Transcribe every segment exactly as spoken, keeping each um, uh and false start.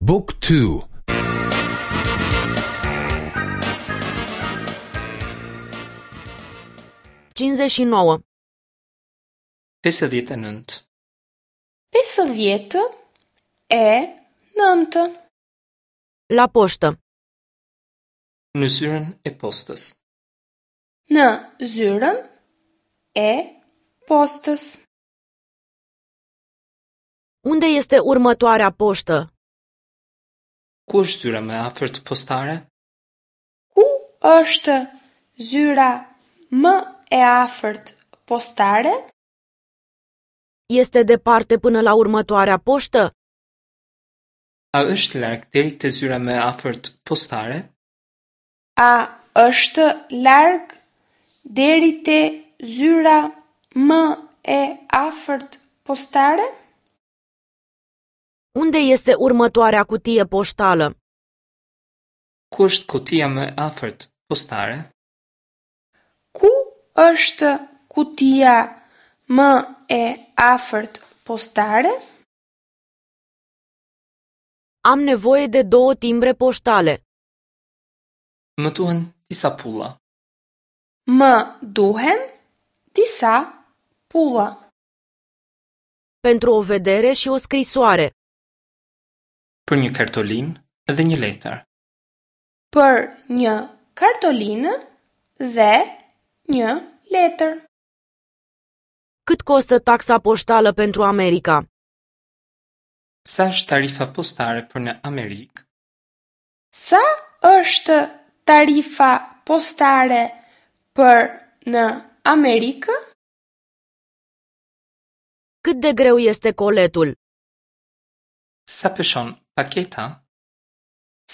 Book two. Cincizeci și nouă. Pesëdhjetë e nëntë. Pesëdhjetë e nëntë. La poștă. Në zyrën e postës. Në zyrën e postës. Unde este următoarea poștă? Ku është zyra më e afërt postare? Ku është zyra më e afërt postare? Este departe până la următoarea poștă? A është larg deri te zyra më e afërt postare? A është larg deri te zyra më e afërt postare? Unde este următoarea cutie poștală? Ku është kutia më e afërt postare? Ku është kutia më e afërt postare? Am nevoie de două timbre poștale. Më duhen disa pulla. Më duhen disa pulla. Pentru o vedere și o scrisoare. Për një kartolinë dhe një letër. Për një kartolinë dhe një letër. Cât costă taxa poștală pentru America? Sa është tarifa postare për në Amerikë? Sa është tarifa postare për në Amerikë? Cât de greu este coletul? Sa peshon paketa?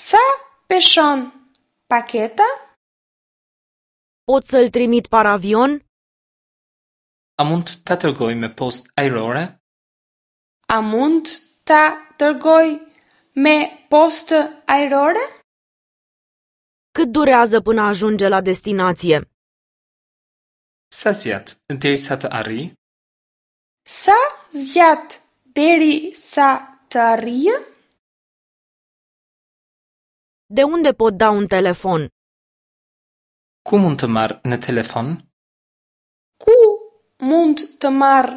Sa peshon paketa? Pot să-l trimit par avion? A mund ta dërgoj me postë ajrore? A mund ta dërgoj me postë ajrore? Cât durează până ajunge la destinație? Sa zgjat derisa të arrijë? Sa zgjat deri sa të arrijë? De unde pot da un telefon? Ku mund të marr në telefon? Ku mund të marr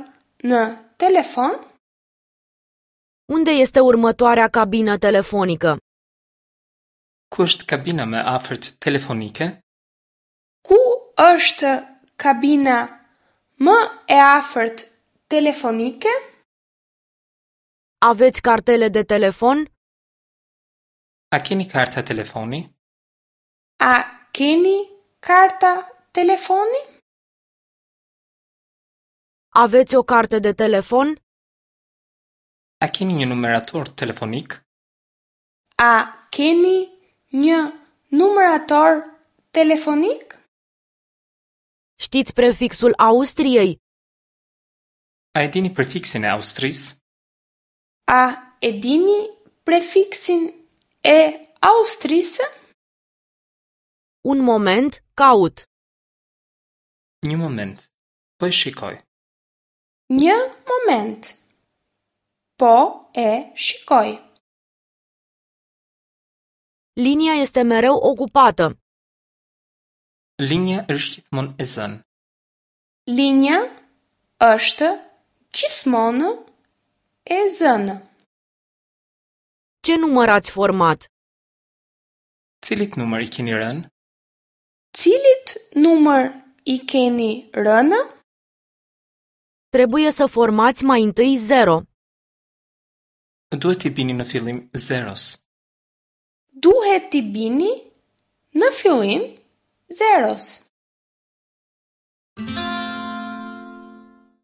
në telefon? Unde este următoarea cabină telefonică? Ku është kabina më e afërt telefonike? Ku është kabina më e afërt telefonike? Aveți cartele de telefon? A keni karta telefoni? A keni karta telefoni? Aveți o carte de telefon? A keni një numerator telefonik? A keni një numerator telefonik? Știți prefixul Austriei? A e dini prefiksin e Austrisë? A e dini prefiksin e Austrisë? Un moment, caut. Një moment, po e shikoj. Një moment. Po e shikoj. Linia este mereu ocupată. Linja është gjithmonë e zënë. Linja është gjithmonë e zënë. Ce număr ați format? Cilit numër i keni rënë? Cilit numër i keni rënë? Trebuie să formați mai întâi zero. Duhet t'i bini në fillim zeros. Duhet t'i bini në fillim zeros.